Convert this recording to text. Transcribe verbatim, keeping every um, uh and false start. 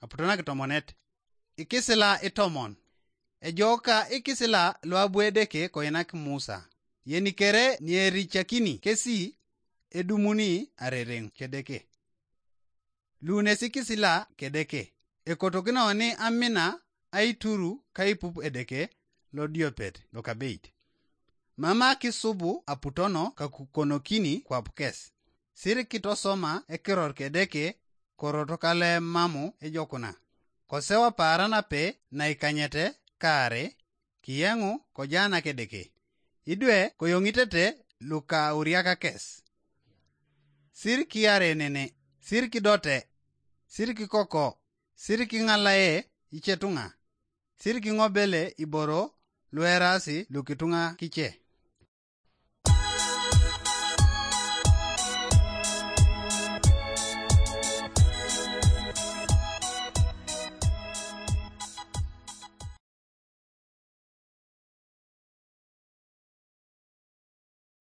Aputo nakitomonet. Ikisila itomon. Ejooka ikisila luabu Edeke koinak Musa. Yeni kere niericakini kesi edumuni arereŋ kedeke. Luunes ikisila kedeke. Ekotokinoni amina aituru kaipup Edeke lodiopet lokabeit. Mam akisubu aputono kakukonokini kwap kes. Sirikitosoma ekiror kedeke korot kalemamu ejokuna. Kosewa paara nape naikanyete kaare, kiyeŋu kojaanak Edeke. Idwe koyoŋitete luka auriak kes. Sir kiare nene, sir kidote, sir kikoko, sir kiŋalaye icetuŋa, sir kiŋobele iboro luerasi lukituŋa kice.